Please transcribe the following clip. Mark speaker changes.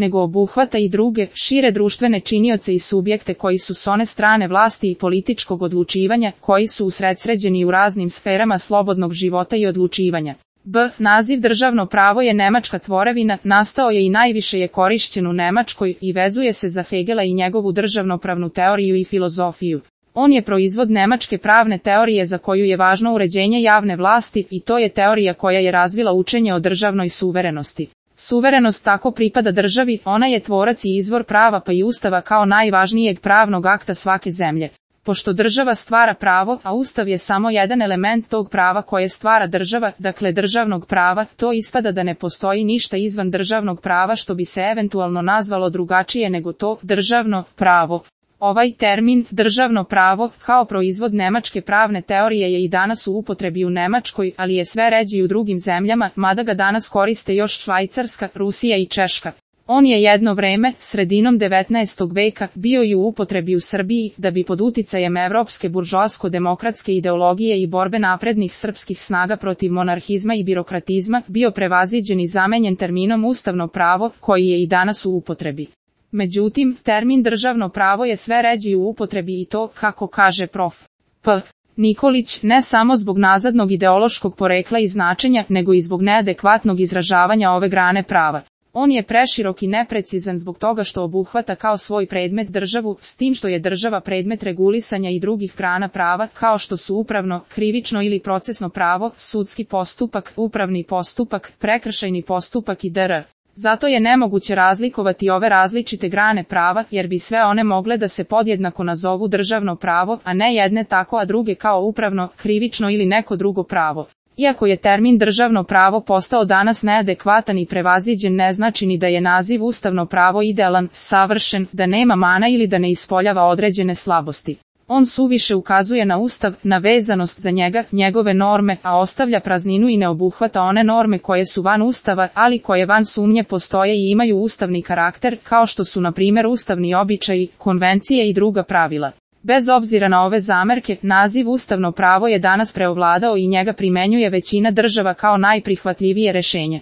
Speaker 1: nego obuhvata i druge, šire društvene činioce i subjekte koji su s one strane vlasti i političkog odlučivanja, koji su usredsređeni u raznim sferama slobodnog života i odlučivanja. Naziv državno pravo je nemačka tvorevina, nastao je i najviše je korišćen u Nemačkoj i vezuje se za Hegela i njegovu državnopravnu teoriju i filozofiju. On je proizvod nemačke pravne teorije za koju je važno uređenje javne vlasti i to je teorija koja je razvila učenje o državnoj suverenosti. Suverenost tako pripada državi, ona je tvorac i izvor prava pa i ustava kao najvažnijeg pravnog akta svake zemlje. Pošto država stvara pravo, a ustav je samo jedan element tog prava koje stvara država, dakle državnog prava, to ispada da ne postoji ništa izvan državnog prava što bi se eventualno nazvalo drugačije nego to državno pravo. Ovaj termin, državno pravo, kao proizvod nemačke pravne teorije je i danas u upotrebi u Nemačkoj, ali je sve ređi i u drugim zemljama, mada ga danas koriste još Švajcarska, Rusija i Češka. On je jedno vreme, sredinom 19. veka, bio i u upotrebi u Srbiji, da bi pod uticajem evropske buržoasko-demokratske ideologije i borbe naprednih srpskih snaga protiv monarhizma i birokratizma, bio prevaziđen i zamenjen terminom ustavno pravo, koji je i danas u upotrebi. Međutim, termin državno pravo je sve ređi u upotrebi i to, kako kaže prof. P. Nikolić, ne samo zbog nazadnog ideološkog porekla i značenja, nego i zbog neadekvatnog izražavanja ove grane prava. On je preširok i neprecizan zbog toga što obuhvata kao svoj predmet državu, s tim što je država predmet regulisanja i drugih grana prava, kao što su upravno, krivično ili procesno pravo, sudski postupak, upravni postupak, prekršajni postupak i dr. Zato je nemoguće razlikovati ove različite grane prava, jer bi sve one mogle da se podjednako nazovu državno pravo, a ne jedne tako a druge kao upravno, krivično ili neko drugo pravo. Iako je termin državno pravo postao danas neadekvatan i prevaziđen, ne znači ni da je naziv ustavno pravo idealan, savršen, da nema mana ili da ne ispoljava određene slabosti. On suviše ukazuje na ustav, na vezanost za njega, njegove norme, a ostavlja prazninu i ne obuhvata one norme koje su van ustava, ali koje van sumnje postoje i imaju ustavni karakter, kao što su na primjer ustavni običaji, konvencije i druga pravila. Bez obzira na ove zamerke, naziv ustavno pravo je danas preovladao i njega primenjuje većina država kao najprihvatljivije rešenje.